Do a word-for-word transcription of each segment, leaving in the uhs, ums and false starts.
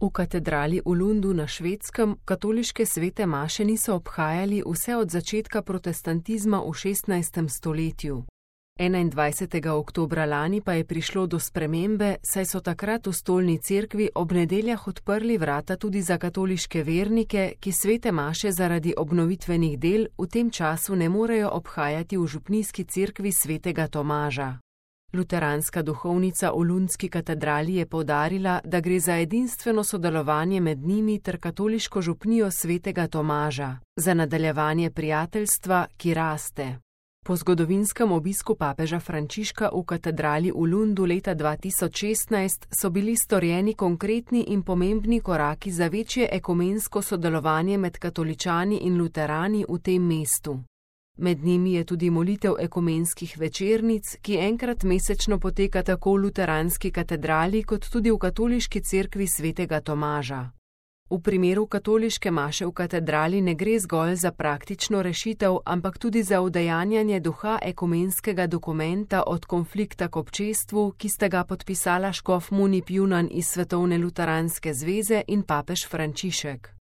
V katedrali v Lundu na Švedskem katoliške svete maše niso obhajali vse od začetka protestantizma v šestnajstem stoletju. enaindvajsetega oktobra lani pa je prišlo do spremembe, saj so takrat v stolni cerkvi ob nedeljah odprli vrata tudi za katoliške vernike, ki svete maše zaradi obnovitvenih del v tem času ne morejo obhajati v župnijski cerkvi svetega Tomaža. Luteranska duhovnica v lundski katedrali je poudarila, da gre za edinstveno sodelovanje med njimi ter katoliško župnijo svetega Tomaža, za nadaljevanje prijateljstva, ki raste. Po zgodovinskem obisku papeža Frančiška v katedrali v Lundu leta dva tisoč šestnajst so bili storjeni konkretni in pomembni koraki za večje ekumensko sodelovanje med katoličani in luterani v tem mestu. Med njimi je tudi molitev ekumenskih večernic, ki enkrat mesečno poteka tako v luteranski katedrali kot tudi v katoliški cerkvi svetega Tomaža. V primeru katoliške maše v katedrali ne gre zgolj za praktično rešitev, ampak tudi za udejanjanje duha ekumenskega dokumenta od konflikta k občestvu, ki sta ga podpisala škof Munip Junan iz Svetovne luteranske zveze in papež Frančišek.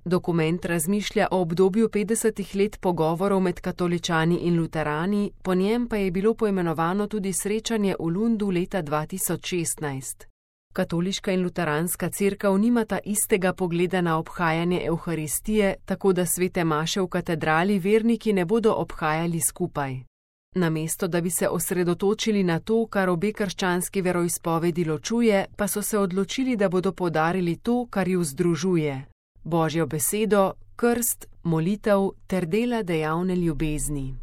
Dokument razmišlja o obdobju petdesetih let pogovorov med katoličani in luterani, po njem pa je bilo poimenovano tudi srečanje v Lundu leta dva tisoč šestnajst. Katoliška in luteranska cerkev nimata istega pogleda na obhajanje evharistije, tako da svete maše v katedrali verniki ne bodo obhajali skupaj. Namesto da bi se osredotočili na to, kar obe krščanski veroizpovedi ločuje, pa so se odločili, da bodo poudarili to, kar ju združuje: Božjo besedo, krst, molitev ter dela dejavne ljubezni.